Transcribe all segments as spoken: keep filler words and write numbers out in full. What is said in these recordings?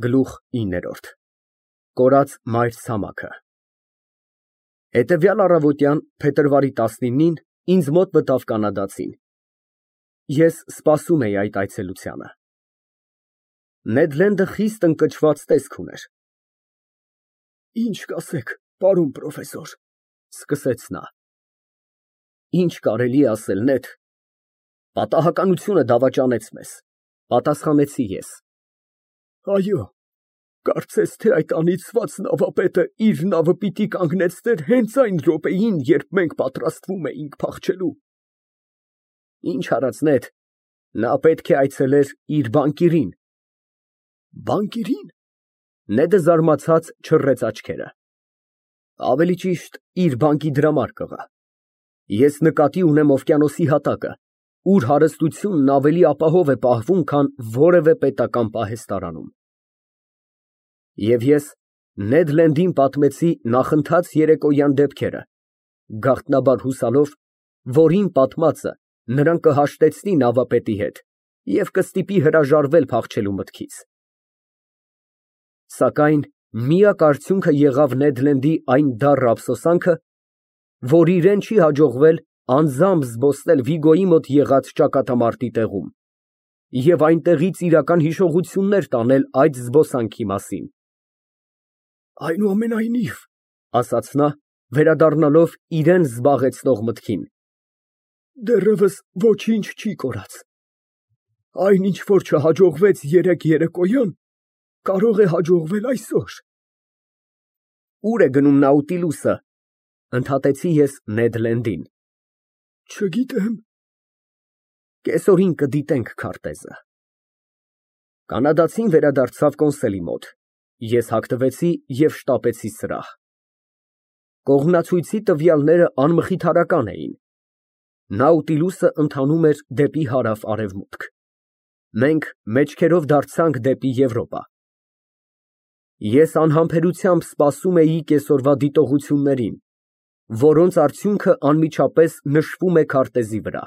Գլուխ ինը կորած մայր ցամաքը Հետևյալ առավոտյան, փետրվարի տասնինին ինձ մոտ մտավ կանադացին, ես սպասում էի այդ այցելությանը։ Նեդ Լենդը խիստ ընկճված տեսք ուներ։ Ինչ կասեք, պարոն պրոֆեսոր, սկսեց նա։ Ինչ կարելի է ասել, Նեդ, պատահականությունը դավաճանեց մեզ, պատասխանեցի ես։ Այո, կարծես թե այդ անիծված նավապետը իր նավը պիտի կանգնեցներ հենց այն րոպեին, երբ մենք պատրաստվում էինք փախչելու։ Ինչ արած, Նեդ, նա պետք է այցելեր իր բանկիրին։ Բանկիրի՞ն։ Նեդը զարմացած չռեց աչքերը։ Ավելի ճիշտ, իր բանկի դրամարկղը։ Ես նկատի ունեմ օվկիանոսի հատակը, ուր հարստությունն ավելի ապահով է պահվում, քան որևէ պետական պահեստարանում։ Եվ ես Նեդ Լենդին պատմեցի նախընթաց երեկոյան դեպքերը, գաղտնաբար հուսալով, որ իմ պատմածը նրան կհաշտեցնի նավապետի հետ և կստիպի հրաժարվել փախչելու մտքից։ Սակայն միակ արդյունքը եղավ Նեդ Լենդի այն դառը ափսոսանքը, որ իրան չի հաջողվել անձամբ զբոսնել Վիգոյի մոտ եղած ճակատամարտի տեղում և այնտեղից իրական հիշողություններ տանել այդ զբոսանքի մասին։ Այնուամենայնիվ, ասաց նա, վերադառնալով իրան զբաղեցնող մտքին, դեռևս ոչինչ չի կորած։ Այն, ինչ որ չհաջողվեց երեկ երեկոյան, կարող է հաջողվել այսօր։ Ո՞ւր է գնում Նաուտիլուսը, ընդհատեցի ես Նեդ Լենդին։ Չգիտեմ։ Կեսօրին կդիտենք քարտեզը։ Կանադացին վերադարձավ կոնսոլի մոտ, ես հագնվեցի և շտապեցի սրահ։ Կողմնացույցի տվյալները անմխիթարական էին։ Նաուտիլուսը ընթանում էր դեպի հարավ֊արևմուտք։ Մենք մեջքերով դարձանք դեպի Եվրոպա։ Ես անհամբերությամբ սպասում էի կեսօրվա դիտողություններին, որոնց արդյունքը անմիջապես նշվում է քարտեզի վրա։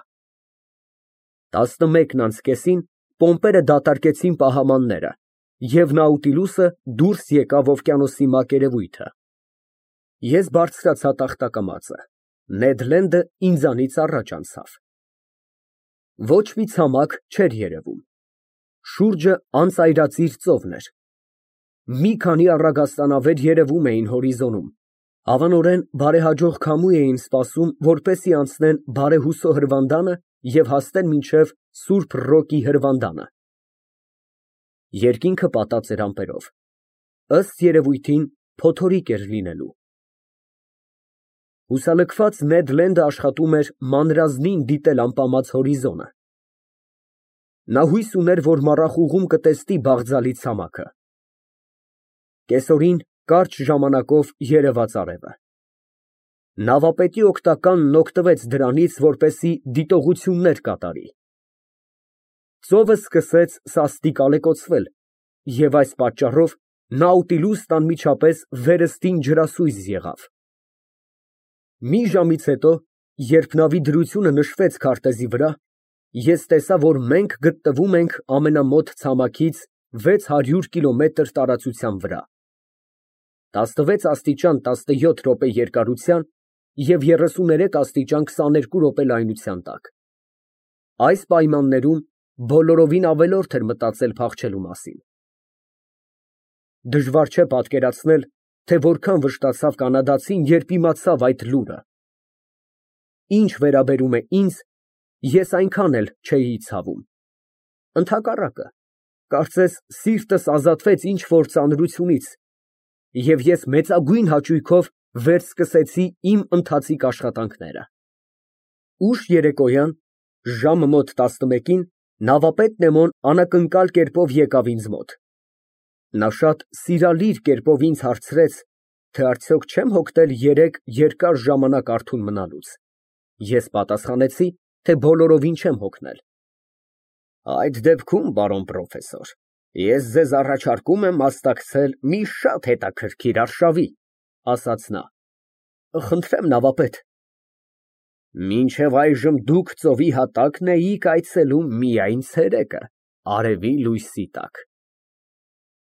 տասնմեկն անց կեսին պոմպերը դատարկեցին պահամանները, և Նաուտիլուսը դուրս եկավ օվկիանոսի մակերևույթը։ Ես բարձրացա տախտակամածը, Նեդ Լենդը ինձանից առաջ անցավ։ Ոչ մի ցամաք չէր երևում։ Շուրջը անծայրածիր ծովն էր։ Մի քանի առագաստանավեր երևում էին հորիզոնում, հավանորեն բարեհաջող քամու էին սպասում, որպեսզի անցնեն Բարեհուսո հրվանդանը և հասնեն մինչև Սուրբ Ռոկի հրվանդանը։ Երկինքը պատած էր ամպերով, ըստ երևույթին փոթորիկ էր լինելու։ Հուսալքված Նեդ Լենդը աշխատում էր մանրազնին դիտել ամպամած հորիզոնը։ Նա հույս ուներ, որ մառախուղում կտեսնի բաղձալի ցամաքը։ Կեսօրին կարճ ժամանակով երևաց արևը։ Նավապետի օգնականն օգտվեց դրանից, որպեսզի դիտողություններ կատարի։ Ծովը սկսեց սաստիկ ալեկոծվել, և այս պատճառով Նաուտիլուսն անմիջապես վերստին ջրասույզ եղավ։ Մի ժամից հետո, երբ նավի դրությունը նշվեց քարտեզի վրա, ես տեսա, որ մենք գտնվում ենք ամենամոտ ցամաքից վեց հարյուր կիլոմետր տարածության վրա, տասնվեց աստիճան տասնյոթ րոպե երկարության և երեսուներեք աստիճան քսաներկու րոպե լայնության տակ։ Այս պայմաններում բոլորովին ավելորդ էր մտածել փախչելու մասին։ Դժվար չէ պատկերացնել, թե որքան վշտացավ կանադացին, երբ իմացավ այդ լուրը։ Ինչ վերաբերում է ինձ, ես այնքան էլ չէի ցավում։ Ընդհակառակը, կարծես սիրտս ազատվեց ինչ֊որ ծանրությունից, և ես մեծագույն հաճույքով վերսկսեցի իմ ընթացիկ աշխատանքները։ Ուշ երեկոյան, ժամը մոտ տասնմեկին, նավապետ Նեմոն անակնկալ կերպով եկավ ինձ մոտ։ Նա շատ սիրալիր կերպով ինձ հարցրեց, թե արդյոք չեմ հոգնել երեկ երկար ժամանակ արթուն մնալուց։ Ես պատասխանեցի, թե բոլորովին չեմ հոգնել։ Այդ դեպքում, պարոն պրոֆեսոր, ես ձեզ առաջարկում եմ մասնակցել մի շատ հետաքրքիր արշավի, ասաց նա։ Խնդրեմ, նավապետ։ Մինչև այժմ դուք ծովի հատակն էիք այցելում միայն ցերեկը, արևի լույսի տակ։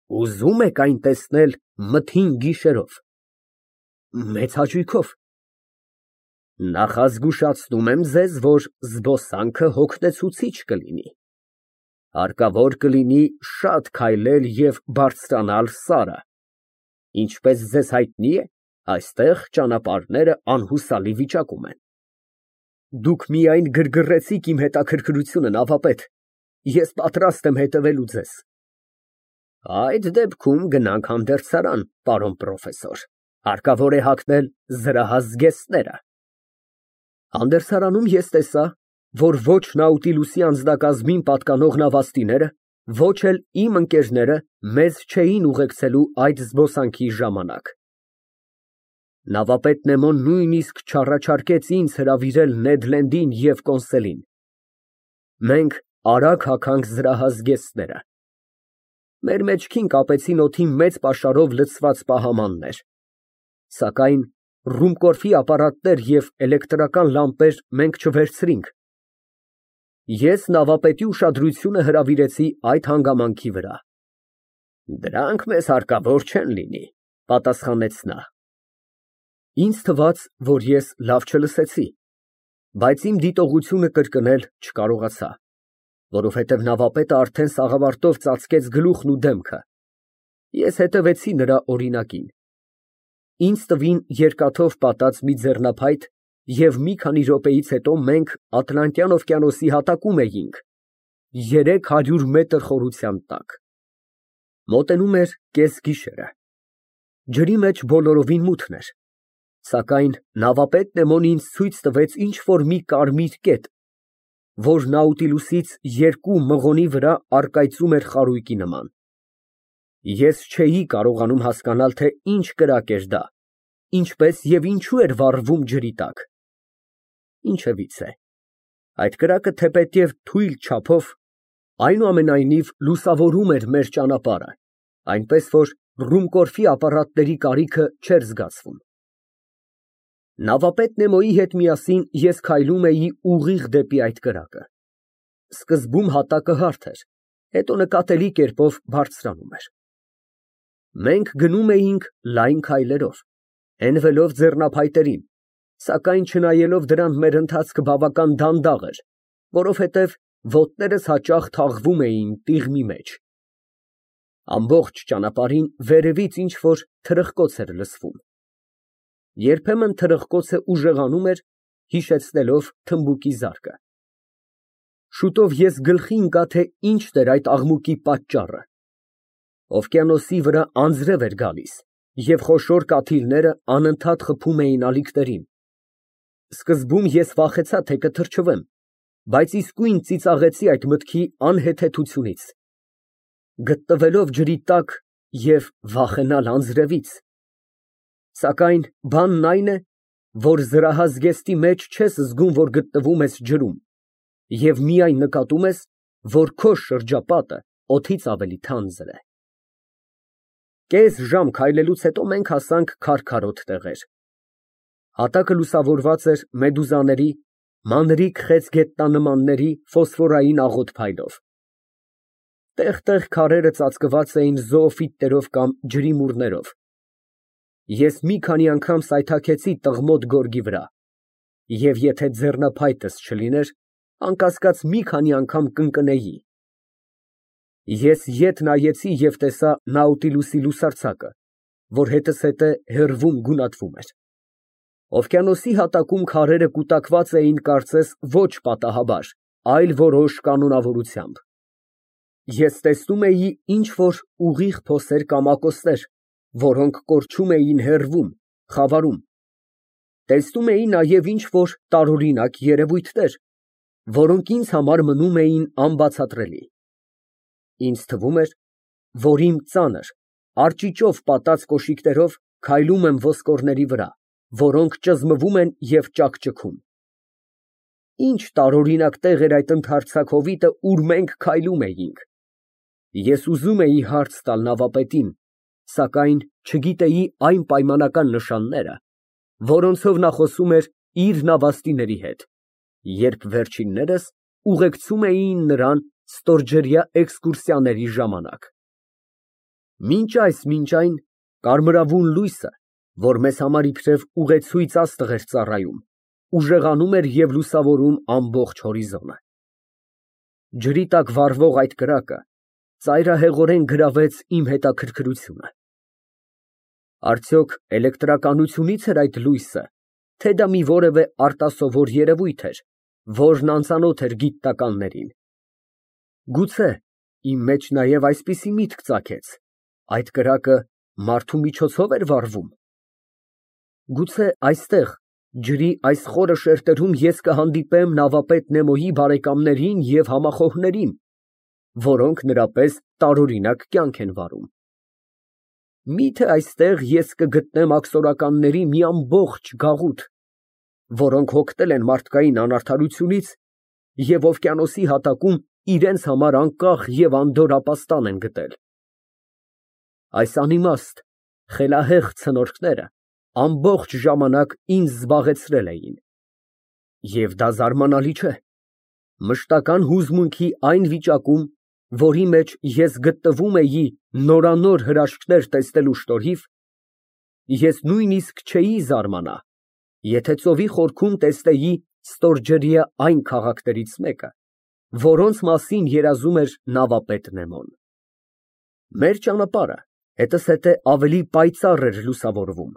Ուզում եք այն տեսնել մթին գիշերով։ Մեծ հաճույքով։ Նախազգուշացնում եմ ձեզ, որ զբոսանքը հոգնեցուցիչ կլինի։ Հարկավոր կլինի շատ քայլել և բարձրանալ սարը։ Ինչպես ձեզ հայտնի է, այստեղ ճանապարհները անհուսալի վիճակում են։ Դուք միայն գրգռեցիք իմ հետաքրքրությունը, նավապետ, ես պատրաստ եմ հետևելու ձեզ։ Այդ դեպքում գնանք հանդերձարան, պարոն պրոֆեսոր, հարկավոր է հագնել զրահազգեստները։ Հանդերձարանում ես տեսա, որ ոչ Նաուտիլուսի անձնակազմին պատկանող նավաստիները, ոչ էլ իմ ընկերները մեզ չէին ուղեկցելու այդ զբոսանքի ժամանակ։ Նավապետ Նեմոն նույնիսկ չառաջարկեց ինձ հրավիրել Նեդ Լենդին և Կոնսելին։ Մենք արագ հագանք զրահազգեստները։ Մեր մեջքին կապեցին օդի մեծ պաշարով լցված պահամաններ, սակայն ռումկորֆի ապարատներ և էլեկտրական լամպեր մենք չվերցրինք։ Ես նավապետի ուշադրությունը հրավիրեցի այդ հանգամանքի վրա։ Դրանք մեզ հարկավոր չեն լինի, պատասխանեց նա։ Ինձ թվաց, որ ես լավ չլսեցի, բայց իմ դիտողությունը կրկնել չկարողացա, որովհետև նավապետը արդեն սաղավարտով ծածկեց գլուխն ու դեմքը։ Ես հետևեցի նրա օրինակին։ Ինձ տվին երկաթով պատած մի ձեռնափայտ, և մի քանի րոպեից հետո մենք Ատլանտյան օվկիանոսի հատակում էինք, երեք հարյուր մետր խորության տակ։ Մոտենում էր կեսգիշերը։ Ջրի մեջ բոլորովին մութն էր, սակայն նավապետ Նեմոն ինձ ցույց տվեց ինչ֊որ մի կարմիր կետ, որ Նաուտիլուսից երկու մղոնի վրա առկայծում էր խարույկի նման։ Ես չէի կարողանում հասկանալ, թե ինչ կրակ էր դա, ինչպես և ինչու էր վառվում ջրի տակ։ Ինչևիցե, այդ կրակը թեպետև թույլ չափով, այնուամենայնիվ լուսավորում էր մեր ճանապարհը, այնպես որ ռումկորֆի ապարատների կարիքը չէր զգացվում։ Նավապետ Նեմոյի հետ միասին ես քայլում էի ուղիղ դեպի այդ կրակը։ Սկզբում հատակը հարթ էր, հետո նկատելի կերպով բարձրանում էր։ Մենք գնում էինք լայն քայլերով, հենվելով ձեռնափայտերին, սակայն չնայելով դրան մեր ընթացքը բավական դանդաղ էր, որովհետև ոտներս հաճախ թաղվում էին տիղմի մեջ։ Ամբողջ ճանապարհին վերևից ինչ֊որ թրխկոց էր լսվում։ Երբեմն թրխկոցը ուժեղանում էր, հիշեցնելով թմբուկի զարկը։ Շուտով ես գլխի ընկա, թե ինչն էր այդ աղմուկի պատճառը։ Օվկիանոսի վրա անձրև էր գալիս, և խոշոր կաթիլները անընդհատ խփում էին ալիքներին։ Սկզբում ես վախեցա, թե կթրջվեմ, բայց իսկույն ծիծաղեցի այդ մտքի անհեթեթությունից։ Գտնվելով ջրի տակ և վախենալ անձրևից։ Սակայն բանն այն է, որ զրահազգեստի մեջ չես զգում, որ գտնվում ես ջրում, և միայն նկատում ես, որ քո շրջապատը օդից ավելի թանձր է։ Կես ժամ քայլելուց հետո մենք հասանք քարքարոտ տեղեր։ Հատակը լուսավորված էր մեդուզաների, մանրիկ խեցգետնանմանների ֆոսֆորային աղոտ փայլով։ Տեղ֊տեղ քարերը ծածկված էին զոոֆիտներով կամ ջրիմուռներով։ Ես մի քանի անգամ սայթաքեցի տղմոտ գորգի վրա, և եթե ձեռնափայտս չլիներ, անկասկած մի քանի անգամ կընկնեի։ Ես ետ նայեցի և տեսա Նաուտիլուսի լուսարձակը, որ հետզհետե հեռվում գունատվում էր։ Օվկիանոսի հատակում քարերը կուտակված էին կարծես ոչ պատահաբար, այլ որոշ կանոնավորությամբ։ Ես տեսնում էի ինչ֊որ ուղիղ փոսեր կամակոսներ, որոնք կորչում էին հեռվում, խավարում։ Տեսնում էի նաև ինչ֊որ տարօրինակ երևույթներ, որոնք ինձ համար մնում էին անբացատրելի։ Ինձ թվում էր, որ իմ ծանր, արճիճով պատած կոշիկներով քայլում եմ ոսկորների վրա, որոնք ճզմվում են և ճաքճքում։ Ինչ տարօրինակ տեղ էր այդ ընդարձակ հովիտը, ուր մենք քայլում էինք։ Ես ուզում էի հարց տալ նավապետին, սակայն չգիտեի այն պայմանական նշանները, որոնցով նա խոսում էր իր նավաստիների հետ, երբ վերջիններս ուղեկցում էին նրան ստորջրյա էքսկուրսիաների ժամանակ։ Մինչ այս, մինչ այն, կարմրավուն լույսը, որ մեզ համար իբրև ուղեցույց աստղ էր ծառայում, ուժեղանում էր և լուսավորում ամբողջ հորիզոնը։ Ջրի տակ վառվող այդ կրակը ծայրահեղորեն գրավեց իմ հետաքրքրությունը։ Արդյոք էլեկտրականությունի՞ց էր այդ լույսը, թե դա մի որևէ արտասովոր երևույթ էր, որն անծանոթ էր գիտնականներին։ Գուցե իմ մեջ նաև այսպիսի միտք ծագեց. այդ կրակը մարդու միջոցով էր վառվում։ Գուցե այստեղ, ջրի այս խորը շերտերում ես կհանդիպեմ նավապետ Նեմոյի բարեկամներին և համախոհներին, որոնք նրա պես տարօրինակ կյանք են վարում։ Մի՞թե այստեղ ես կգտնեմ աքսորականների մի ամբողջ գաղութ, որոնք հոգնել են մարդկային անարդարությունից և օվկիանոսի հատակում իրենց համար անկախ և անդորր ապաստան են գտել։ Այս անիմաստ, խելահեղ ցնորքները ամբողջ ժամանակ ինձ զբաղեցրել էին։ Եվ դա զարմանալի չէ։ Մշտական հուզմունքի այն վիճակում, որի մեջ ես գտնվում էի նորանոր հրաշքներ տեսնելու շնորհիվ, ես նույնիսկ չէի զարմանա, եթե ծովի խորքում տեսնեի ստորջրյա այն քաղաքներից մեկը, որոնց մասին երազում էր նավապետ Նեմոն։ Մեր ճանապարհը հետզհետե ավելի պայծառ էր լուսավորվում։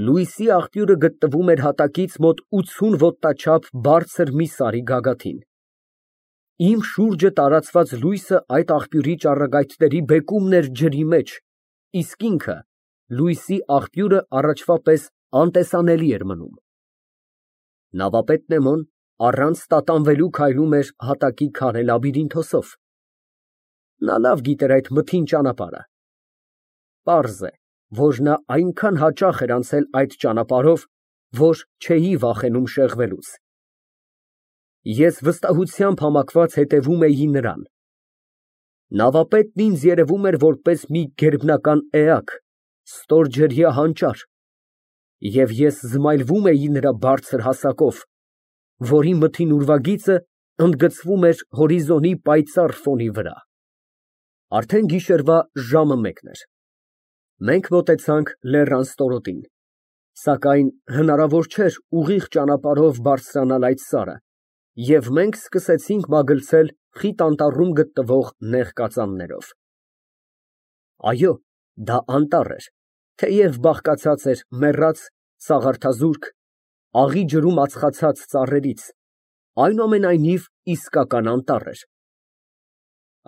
Լույսի աղբյուրը գտնվում էր հատակից մոտ ութսուն ոտնաչափ բարձր մի սարի գագաթին։ Իմ շուրջը տարածված լույսը այդ աղբյուրի ճառագայթների բեկումն էր ջրի մեջ, իսկ ինքը, լույսի աղբյուրը, առաջվա պես անտեսանելի էր մնում։ Նավապետ Նեմոն առանց տատանվելու քայլում էր հատակի քարե լաբիրինթոսով։ Նա լավ գիտեր այդ մթին ճանապարհը։ Պարզ է, որ նա այնքան հաճախ էր անցել այդ ճանապարհով, որ չէի վախենում շեղվելուց։ Ես վստահությամբ համակված հետևում էի նրան։ Նավապետն ինձ երևում էր որպես մի գերբնական էակ, ստորջրյա հանճար, և ես զմայլվում էի նրա բարձր հասակով, որի մթին ուրվագիծը ընդգծվում էր հորիզոնի պայծառ ֆոնի վրա։ Արդեն գիշերվա ժամը մեկն էր։ Մենք մոտեցանք լեռան ստորոտին, սակայն հնարավոր չէր ուղիղ ճանապարհով բարձրանալ այդ սարը, և մենք սկսեցինք մագլցել խիտ անտառում գտնվող նեղ կածաններով։ Այո, դա անտառ էր, թեև բաղկացած էր մեռած, սաղարթազուրկ, աղի ջրում ածխացած ծառերից, այնուամենայնիվ իսկական անտառ էր։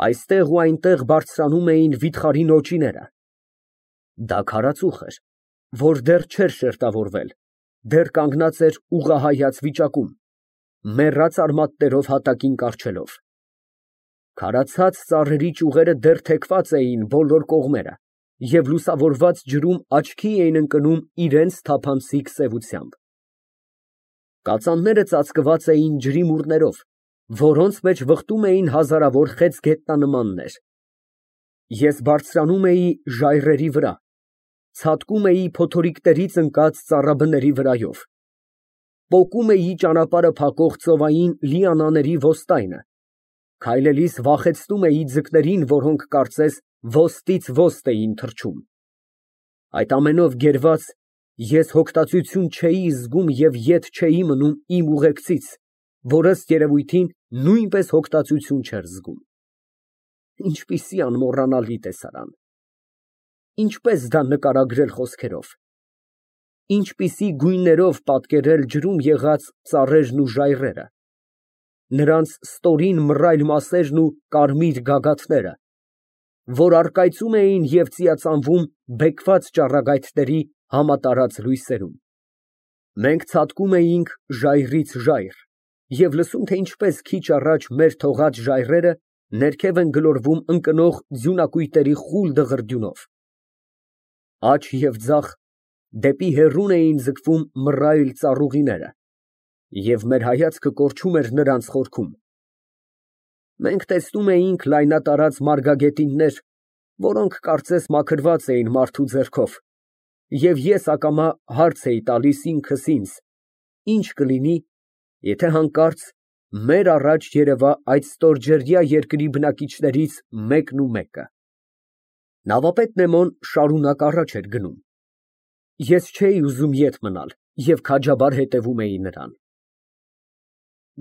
Այստեղ ու այնտեղ բարձրանում էին վիթխարի նոճիները։ Դա քարածուխ էր, որ դեռ չէր շերտավորվել, դեռ կանգնած էր ուղղահայաց վիճակում, մեռած արմատներով հատակին կառչելով։ Քարացած ծառերի ճյուղերը դեռ թեքված էին բոլոր կողմերը և լուսավորված ջրում աչքի էին ընկնում իրենց թափանցիկ սևությամբ։ Կածանները ծածկված էին ջրիմուռներով, որոնց մեջ վխտում էին հազարավոր խեց գետնանմաններ։ Ես բարձրանում էի ժայռերի վրա, ցատկում էի փոթորիկներից ընկած ծառաբների վրայով, պոկում էի ճանապարհը փակող ծովային լիանաների ոստայնը, քայլելիս վախեցնում էի ձկներին, որոնք կարծես ոստից ոստ էին թռչում։ Այդ ամենով գերված, ես հոգտածություն չէի զգում և ետ չէի մնում իմ ուղեկցից, որ ըստ երևույթին նույնպես հոգտածություն չէր զգում։ Ինչպիսի անմոռանալի տեսարան։ Ինչպես դա նկարագրել խոսքերով։ Ինչպիսի գույներով պատկերել ջրում եղած ծառերն ու ժայռերը, նրանց ստորին մռայլ մասերն ու կարմիր գագաթները, որ առկայծում էին և ծիածանվում բեկված ճառագայթների համատարած լույսերում։ Մենք ցատկում էինք ժայռից ժայռ և լսում, թե ինչպես քիչ առաջ մեր թողած ժայռերը ներքև են գլորվում ընկնող ձյունակույտերի խուլ դղրդյունով։ Աջ և ձախ դեպի հեռուն էին ձգվում մռայլ ծառուղիները, և մեր հայացքը կորչում էր նրանց խորքում։ Մենք տեսնում էինք լայնատարած մարգագետիններ, որոնք կարծես մաքրված էին մարդու ձեռքով, և ես ակամա հարց էի տալիս ինքս ինձ. ինչ կլինի, եթե հանկարծ մեր առաջ երևա այդ ստորջրյա երկրի բնակիչներից մեկն ու մեկը։ Նավապետ Նեմոն շարունակ առաջ էր գնում։ Ես չէի ուզում ետ մնալ և քաջաբար հետևում էի նրան։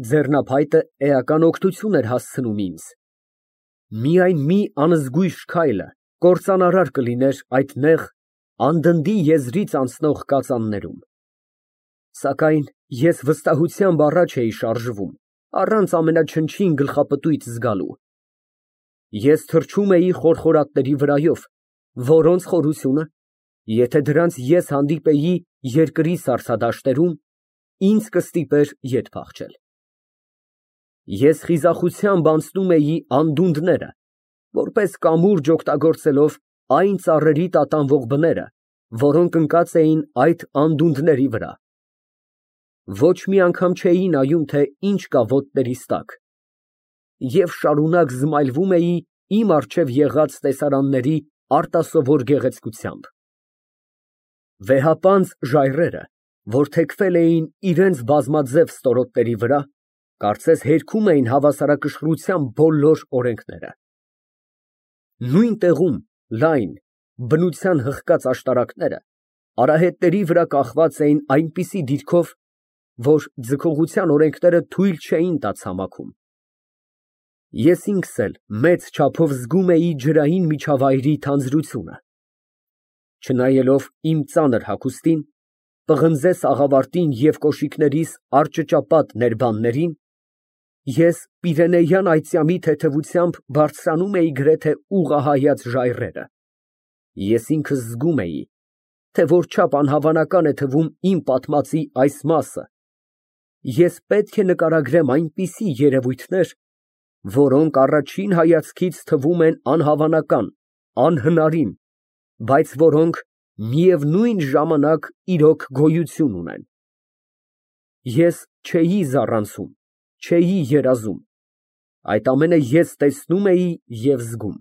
Ձեռնափայտը էական օգնություն էր հասցնում ինձ։ Միայն մի անզգույշ քայլը կործանարար կլիներ այդ նեղ, անդնդի եզրից անցնող կածաններում։ Սակայն ես վստահությամբ առաջ էի շարժվում, առանց ամենաչնչին գլխապտույտ զգալու։ Ես թռչում էի խորխորատների վրայով, որոնց խորությունը, եթե դրանց ես հանդիպեի երկրի սառցադաշտերում, ինձ կստիպեր ետ փախչել։ Ես խիզախությամբ անցնում էի անդունդները, որպես կամուրջ օգտագործելով այն ծառերի տատանվող բները, որոնք ընկած էին այդ անդունդների վրա։ Ոչ մի անգամ չէի նայում, թե ինչ կա ոտներիս տակ, և շարունակ զմայլվում էի իմ առջև եղած տեսարանների արտասովոր գեղեցկությամբ։ Վեհապանծ ժայռերը, որ թեքվել էին իրենց բազմաձև ստորոտների վրա, կարծես հերքում էին հավասարակշռության բոլոր օրենքները։ Նույն տեղում լայն, բնության հղկած աշտարակները արահետների վրա կախված էին այնպիսի դիրքով, որ ձգողության օրենքները թույլ չէին տա ցամաքում։ Ես ինքս էլ մեծ չափով զգում էի ջրային միջավայրի թանձրությունը։ Չնայելով իմ ծանր հագուստին, պղնձե սաղավարտին և կոշիկներիս արճճապատ ներբաններին, ես պիրենեյան այծյամի թեթևությամբ բարձրանում էի գրեթե ուղղահայաց ժայռերը։ Ես ինքս զգում էի, թե որչափ անհավանական է թվում իմ պատմածի այս մասը, ես պետք է նկարագրեմ այնպիսի երևույթներ, որոնք առաջին հայացքից թվում են անհավանական, անհնարին, բայց որոնք միևնույն ժամանակ իրոք գոյություն ունեն։ Ես չէի զառանցում, չէի երազում, այդ ամենը ես տեսնում էի և զգում։